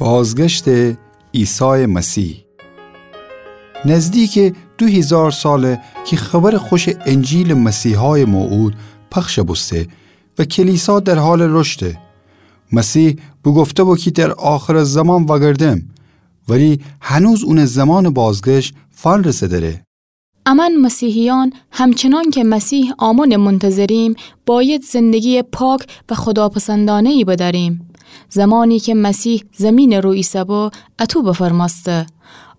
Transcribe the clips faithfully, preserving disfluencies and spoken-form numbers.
بازگشتٚ عیسایٚ مسیح. نزدیکٚ دو هیزار ساله کی خبرٚ خوشٚ انجیلٚ مسیحای موعود پخش بوسته و کلیسا در حالٚ رشده. مسیح بوگفته بو کی در آخرٚ زمان وأگردم، ولی هنوز اونٚ زمانٚ بازگشت فنرسه‌دره. امأن مسیحیأن همچنان که مسیح آمنٚ منتظریم، باید زندگییٚ پاک و خوداپسندانه‌یی بدأریم. زمانی که مسیح زمینٚ رو ایسه‌بو، اطو بفرمأسته: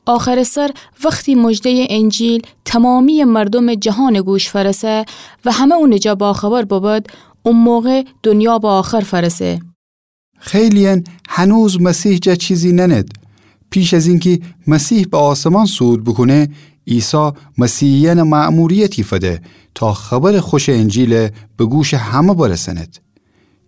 آخرٚ سر وختی مژده‌یٚ انجیل تمامییٚ مردومٚ جهانٚ گوش فأرسه و همه اونٚ جا باخبر ببد، او موقع دنیا به آخر فأرسه. خیلییأن هنوز مسیح جا چیزی نأنید. پیش از اینکی مسیح به آسمان صعود بوکونه، عیسی مسیحییأن مأموریتی فده تا خبرٚ خوشٚ انجیل به گوشٚ همه برسأنید.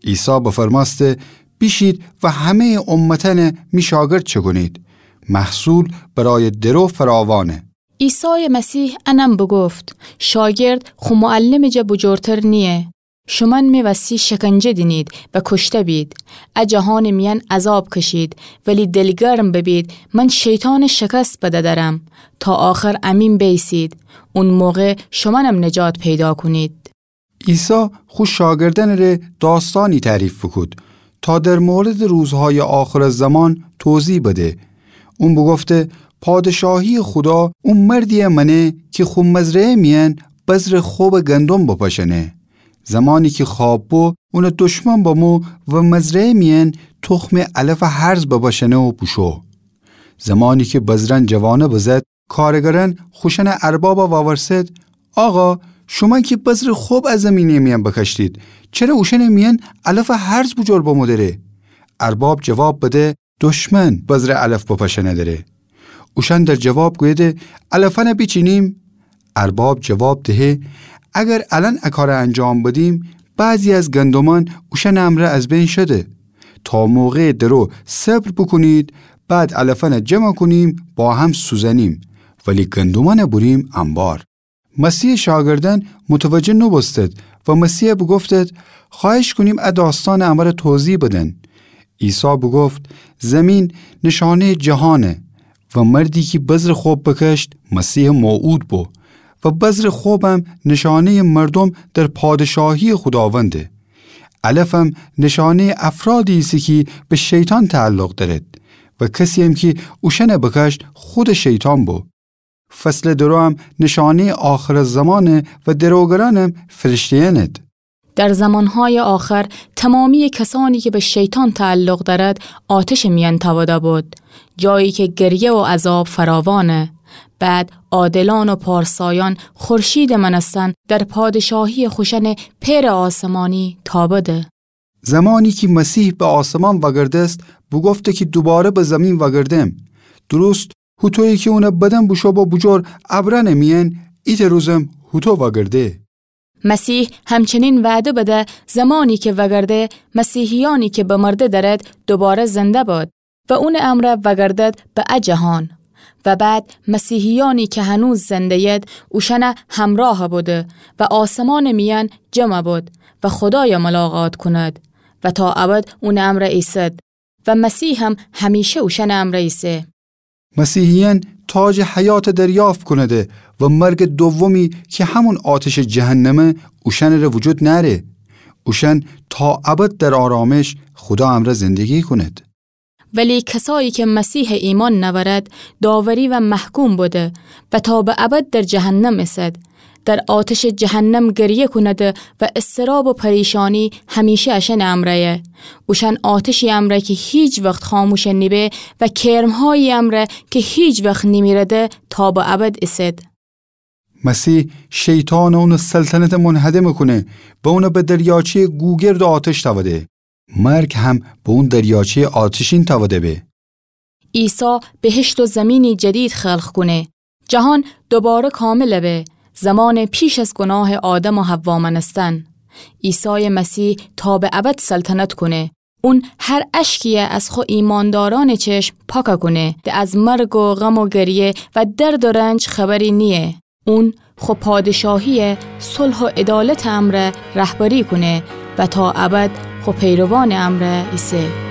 عیسی بفرمأسته: بیشید و همه‌یٚ امتأن می شاگرد چکونید. محصول برای درو فراوانه. عیسایٚ مسیح انم بوگفت: شاگرد خو معلمٚ جا بوجورتر نییه. شومأن می وسی شکنجه دینید و کشته بید. ا جهانٚ میأن عذاب کشید، ولی دلگرم ببید، من شیطانٚ شکست بدأدرم. تا آخر امین بیسید. اون موقع شومأنم نجات پیدا کونید. عیسی خو شاگردأنٚ ره داستانی تعریف بوکود تا در موردٚ روزهایٚ آخرٚ زمان توضیح بده. اون بوگفته: پادشاهییٚ خودا او مردیی مأنه کی خو مزرعه میأن بذرٚ خب گندم بپاشأنه. زمانی کی خواب بو، اونٚ دشمن بمو و مزرعه میأن تخمٚ علفٚ هرز بپاشأنه و بوشو. زمانی کی بذرأن جوانه بزد، کارگرأن خوشأنٚ اربابَ وورسد: آقا، شومأن کی بذرٚ خب ا زیمینٚ میأن بکاشتید، چره اوشأنٚ میأن علفٚ هرز بوجور بمو دره؟ ارباب جواب بده: دشمن بذرٚ علف بپاشأنه دره. اوشأن در جواب گویده: علفأنَ بیچینیم؟ ارباب جواب دهه: اگر الأن ا کارَ انجام بدیم، بعضی از گندمأن اوشأنٚ امرأ از بین شده. تا موقعٚ درو صبر بوکونید، بعد علفأنَ جمع کونیم، با هم سوزأنیم، ولی گندمأنَ بوریم انبار. مسیحٚ شاگردأن متوجه نوبوستد و مسیحَ بوگفتد: خوأهش کونیم ا داستانَ امره توضیح بدن. عیسی بوگفت: زیمین نشانه‌یٚ جهانه و مردی کی بذرٚ خب بکشت، مسیحٚ موعود بو و بذرٚ خبم نشانه‌یٚ مردوم در پادشاهییٚ خوداونده. علفم نشانه‌یٚ افرادی ایسه کی به شیطان تعلق دأرد و کسییم کی اوشأنَ بکشت، خودٚ شیطان بو. فصلٚ دروم نشانه‌یٚ آخرٚ زمانه و دروگرأنم فرشته‌یأنید. در زمانهای آخر تمامی کسانی که به شیطان تعلق دارد، آتش میان تاوده بود، جایی که گریه و عذاب فراوانه. بعد عادلان و پارسایان خورشید مانستن در پادشاهی خوشن پئر آسمانی تابده. زمانی کی مسیح به آسمان وأگردست، بوگفته کی دوباره به زمین وأگردم. درست هوطویی کی اونٚ بدن بوشو با بوجور ابرأنٚ میأن، ایتأ روزم هوطو وأگرده. مسیح همچنین وعده بده زمانی کی وأگرده، مسیحیأنی کی بمرده دأرد دوباره زنده بود و اونٚ امرأ وأگردد به ا جهان. و بعد مسیحیأنی کی هنوز زنده‌ید اوشأنٚ همراه بوده و آسمانٚ میأن جمع بود و خودای ملاقات کند و تا ابد اونٚ امرأ ایسد و مسیحم همیشه اوشأنٚ امرأ ایسه. مسیحیأن تاجٚ حیات دریافت کونده و مرگٚ دومی کی همون آتشٚ جهنمه اوشأنٚ ره وجود نأره. اوشأن تا ابد در آرامش خودا امرأ زندگی کونید. ولی کسایی کی مسیحٚ ایمأن نأورد، داوری و محکوم بوده و تا به ابد در جهنم ایسد. در آتشٚ جهنم گریه کونده و اضطراب و پریشانی همیشه اشأنٚ امرأیه. اوشأن آتشی امرأ کی هیچ وخت خاموش نیبه و کرمهایی امرأ کی هیچ وخت نیمیرده تا به ابد ایسد. مسیح شیطان و اونٚ سلطنت منهدم کونه و اون به دریاچه‌یٚ گوگرد و آتش تأوده. مرگ هم به اون دریاچه‌یٚ آتشین تأوده به. عیسی بهشت و زمینی جدید خلق کونه. جهان دوباره کامل به. زمان پیش از گناه آدم و حوا مأنستن. عیسای مسیح تا به ابد سلطنت کونه. اون هر اشکیی از خو ایماندارأنٚ چشم پاک کونه. ده از مرگ و غم و گریه و درد و رنج خبری نییه. اون خو پادشاهی صلح و عدالتٚ امرأ رهبری کونه و تا ابد خو پیروانٚ امرأ ایسه.